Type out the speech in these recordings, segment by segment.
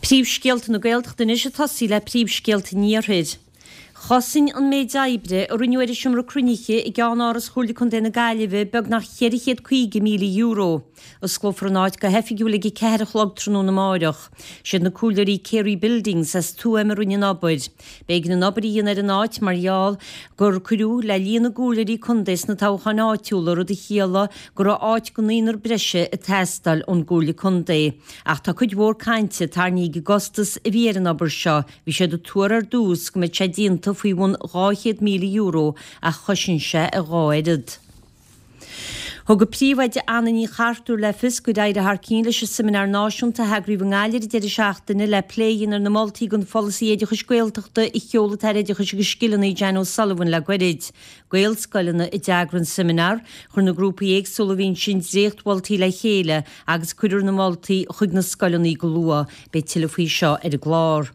Príomhscéalta na Gaeltachta anois ag tosaí le príomhscéalta an Iarthair. Chosain an méid oibre a rinneadh ar an seomra cruinnithe i gceannáras Chomhairle Contae na Gaillimhe beagnach €450,000. Osclófar an áit go hoifigiúil ag 4 a chlog tráthnóna amáireach. Siad na comhairleoirí Carey Buildings as Tuaim a rinne an obair. B'éigean an obair a dhéanamh ar an áit mar gheall gur cuireadh le líon na gcomhairleoirí contae sna toghcháin áitiúla, rud a chiallaigh go raibh áit go naonúr breise ag teastáil ón gComhairle Contae. Ach tá cuid mhór cainte tarraingthe ag an gcostas a bhí ar an obair seo, bhí siad ag tuar ar dtús go mbeadh sé déanta faoi bhun €200,000 ach chosain sé a dhá oiread. Thug an Príomhoide Anna Ní Chartúir le fios gur éirigh thar cionn leis an Seimineár Náisiúnta a heagraíodh i nGaillimh ar an deireadh seachtaine le plé a dhéanamh ar na moltaí don pholasaí oideachais Gaeltachta a sheol an tAire Oideachais agus Scileanna Jan O'Sullivan le goirid. Gaelscoileanna a d'eagraigh an seimineár. Chuir na grúpaí éagsúla a bhí ansin dréachtmholtaí le chéile agus cuirfear na moltaí chuig na scoileanna go luath. Beidh tuilleadh faoi seo ar an gclár.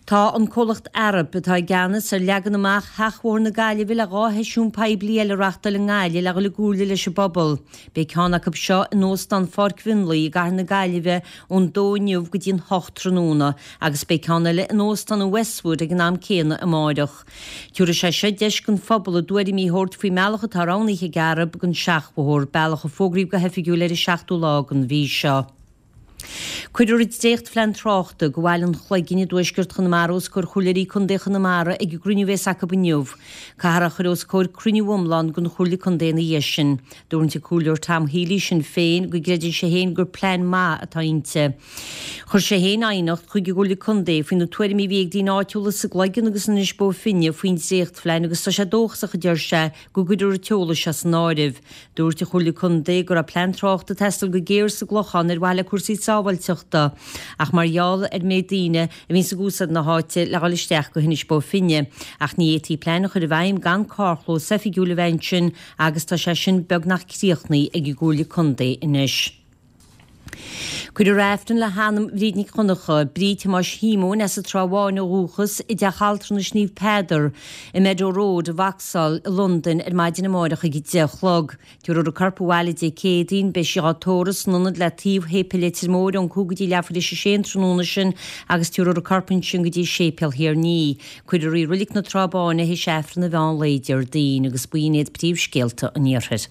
Tá an comhlacht Arup, atá i gceannas ar leagan amach Sheachbhóthar na Gaillimhe le 2 sheisiún poiblí eile a reachtáil i nGaillimh le dhul i gcomhairle leis an bpobal. Beidh ceann acu seo in Óstán Pháirc Mhionlaigh i gcathair na Gaillimhe ón 2 inniu go dtí an 8 tráthnóna agus beidh ceann eile in Óstán an Westwood ag an am céanna amáireach. Tabharfaidh sé seo deis don phobal a dtuairimí a thabhairt faoin mbealach atá roghnaithe ag Arup don seachbhóthar, bealach a fógraíodh go hoifigiúil ar an seachtú lá den mhí seo. Cuirfear an dréachtphlean tráchta do Bhaile an Chloiginn i dtuaisceart Chonamara os comhair Chomhairleoirí Contae Chonamara ag an gcruinniú a bhéas acu inniu. Caithfear é a chur os comhair cruinniú iomlán den Chomhairle Contae ina dhiaidh sin. Dúirt an Comhairleoir Tom Healy, Sinn Féin, go gcreideann sé féin gur plean maith atá inti. Chuir sé féin aighneacht chuig an gComhairle Contae faoi na tuairimí a bhí ag daoine áitiúla sa gCloigeann agus in Inis Bó Finne faoin dréachtphlean agus tá sé dóchasach, a deir sé, go gcuirfear an t-eolas seo san áireamh. Dúirt an Chomhairle Contae go raibh plean tráchta ag teastáil go géar sa gClochán ar mhaithe le cúrsaí sábháilteachta ach mar gheall ar an méid daoine a bhíonns ag úsáid na háite le dhul isteach go hInis Bó Finne. Ach ní fhéadfaí plean a chur i bhfeidhm gan carrchlós oifigiúil a bheith ansin agus tá sé sin beagnach críochnaithe ag an gComhairle Contae anois. Cuirfear Aifreann le hanam Bhríd Nic Dhonncha, Bríd Thomáis Shíomóin as an Trá Bháin ó dhúchas, i dTeach Altranais Naomh Peadar i Meadow Road i Vauxhall i Londain ar maidin amáireach ag 10 a chlog. Tabharfar a corp abhaile Dé Céadaoin. Beidh sí á tórramh san ionad le taobh Shéipéal Leitir Móir ón 5 go dtí leathuair tar éis a sé an tráthnóna sin agus tabharfar a corp ansin go dtí Séipéal Thír an Fhia. Cuirfear í i Reilig na Trá Báine théis Aifreann an mheán lae Déardaoin agus b'in iad príomhscéalta an Iarthair.